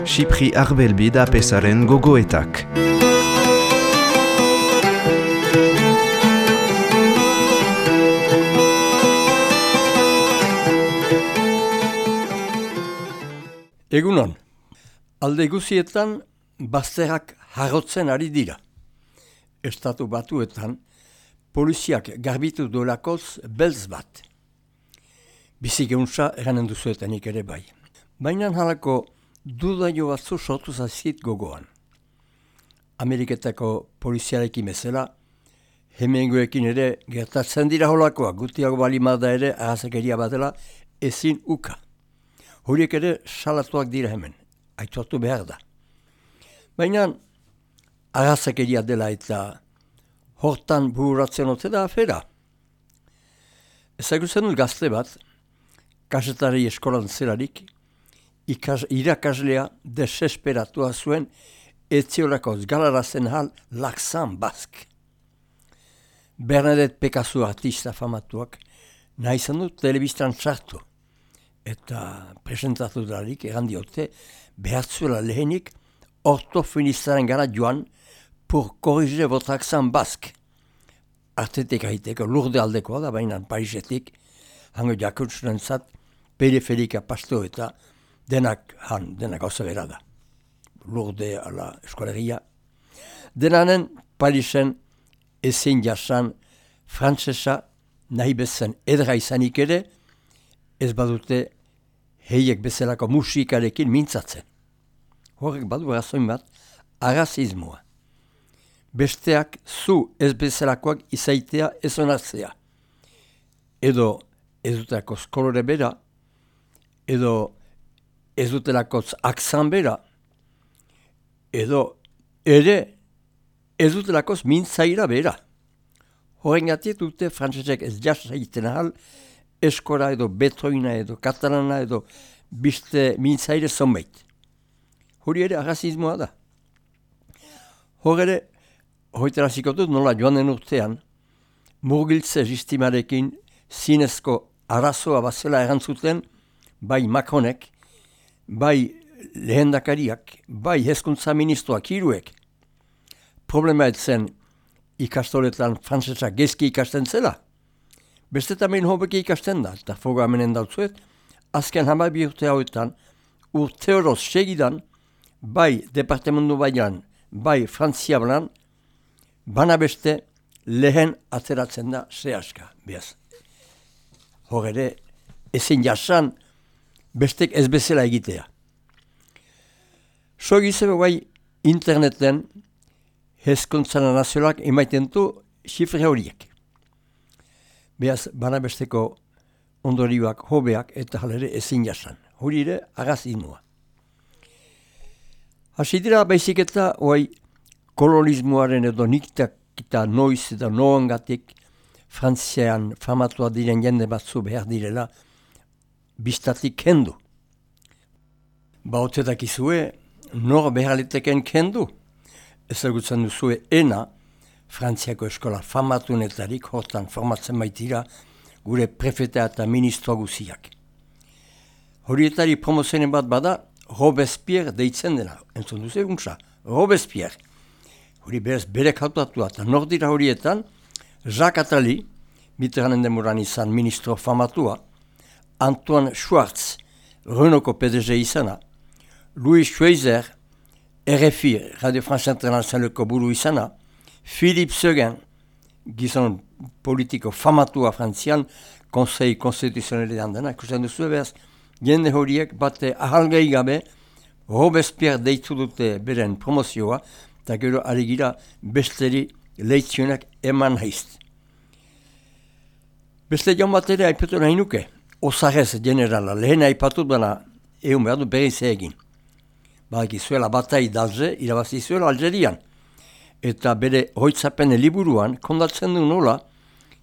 Xipri Arbelbi da pesaren gogoetak. Egunon, alde guzietan bazterrak harrotzen ari dira. Estatu Batuetan poliziak garbitu duelakoz beltz bat. Bizik euntza eranen duzuetanik ere bai. Baina halako dudaio batzu sortu zaizkit gogoan. Ameriketako poliziarekin bezala, hemengoekin ere gertatzen dira holakoa, gutiago balimada ere arrazakeria batela ezin uka. Horiek ere salatuak dira hemen, aitortu behar da. Baina arrazakeria dela eta hortan bururatzen ote da afera. Ezagutzen dut gazte bat, kasetari eskolan zelarik, irakaslea desesperatua zuen etziolakoz galarazen hal Laxan Bask. Bernadette Picasso artista famatuak nahi izan dut telebistan sartu. Eta presentatu darik errandiote behatzuela lehenik ortofinistaren gara joan pour corriger votre accent basque. Artetik haiteko lurde aldekoa da, baina Parisetik, hango jakutsunen zat, periferika pasto eta denak gauza bera da. Lurde ala eskolegia. Denanen Parisen ezin jasan frantsesa nahi bezen edra izanik ere, ez badute heiek bezalako musikarekin mintzatzen. Horrek badu razoin bat, arrazismoa. Besteak zu ez bezalakoak izaitea ez onartzea. Edo ez dutelakoz kolore bera, edo ez dutelakoz akzan bera, edo ere ez dutelakoz mintzaira bera. Horrengatik dute frantsesek ez jasa egiten ahal, eskora edo betoina edo katalana edo biste mintzaire zonbait. Hori ere arrazismoa da. Hor ere, hoiteraziko dut nola joan den urtean, murgiltze sistimarekin zinezko arazoa bazela erantzuten, bai Macronek, bai lehendakariak, bai hezkuntza ministroak hiruek. Problema etzen ikastoletan frantsesa gezki ikasten zela. Beste tamen hobeki ikasten da, eta foga amenen dautzuet, azken 12 urte hauetan, urte horoz segidan, bai departamentu baian, bai Frantzia banan, bana beste lehen ateratzen da zehaska, behaz. Hor ere, ezin jasan, bestek ez bezala egitea. So gizebe bai interneten, hezkuntzana nazionalak emaiten du xifre horiek. Behaz, bana besteko ondorioak, hobeak eta halere ezin jasan. Hori ere, arrazismoa. Hasi dira baizik eta kolonismoaren edo niktak eta noiz eta noangatik Frantzian famatua diren jende batzu behar direla biztatik kendu. Baotetak izue, nor behar liteken kendu. Ezagutzen duzue ena, Frantziako eskola famatunetarik hortan formatzen baitira gure prefeta eta ministro guziak. Horietari promozioen bat bada Robespierre deitzen dena. Entzun duzu eguntza, Robespierre. Hori berez berek hautatua eta nordira horietan Jacques Attali, Mitterranden demoran izan ministro famatua, Antoine Schwartz, Renaultko PDG izana, Louis Schweizer, RFI, Radio France Internationaleko buru izana, Philippe Seguin, gizon politiko famatua Frantzian, konsei konstituzionalean dena, ikusten duzu behaz, jende horiek bate ahalgei gabe Robespierre deitu dute beren promozioa, eta gero alegira besteri leitzionak eman haizt. Beste joan bat ere aipatu nahi nuke, Osarez generala, lehen aipatut bana egun behar du berriz egin. Badak izuela batai d'Alger, irabazi izuela Algerian. Eta bere hoitzapen liburuan, kondatzen du nola,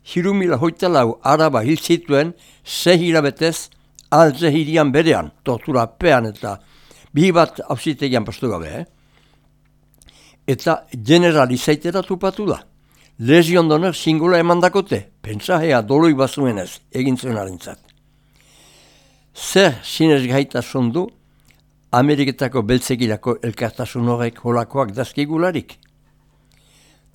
3.024 araba hil zituen 6 hilabetez Alger hirian berean, torturapean eta bihi bat hausitegian pastu gabe. Eta general izaitera tupatu da. Legion d'honneur singula eman dakote, pentsahea doloi bazuenez egin zuen harentzat. zer sinesgaitasun du Ameriketako beltzegilako elkartasun horrek holakoak dazkigularik.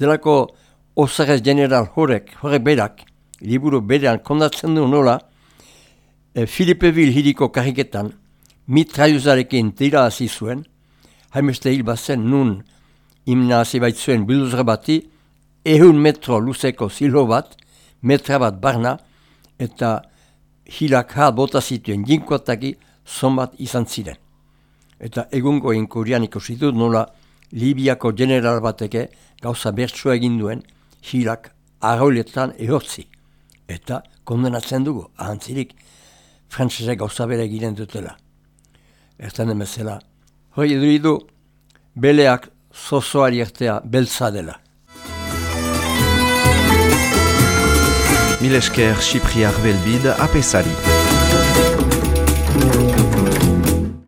Delako Osagez general horrek berak, liburu berean kondatzen du nola, Filipeville hiriko karriketan mitraiuzarekin tira hasi zuen, hainbeste hil bazen nun imna hasi baitzuen bilduzra bati, 100 metro luzeko zilo bat, metra bat barna, eta hilak bota zituen jinkoataki zonbat izan ziren. Eta egungo inkurian ikusi dut nola Libiako general bateke gauza bertsua egin duen hilak arroiletan ehortzi. Eta kondenatzen dugu, ahantzirik, frantzesek gauza bere egiten dutela. Ertan demezela, hori du beleak zozoari ertea beltza dela. Mil esker Xipriar Belbid apesari.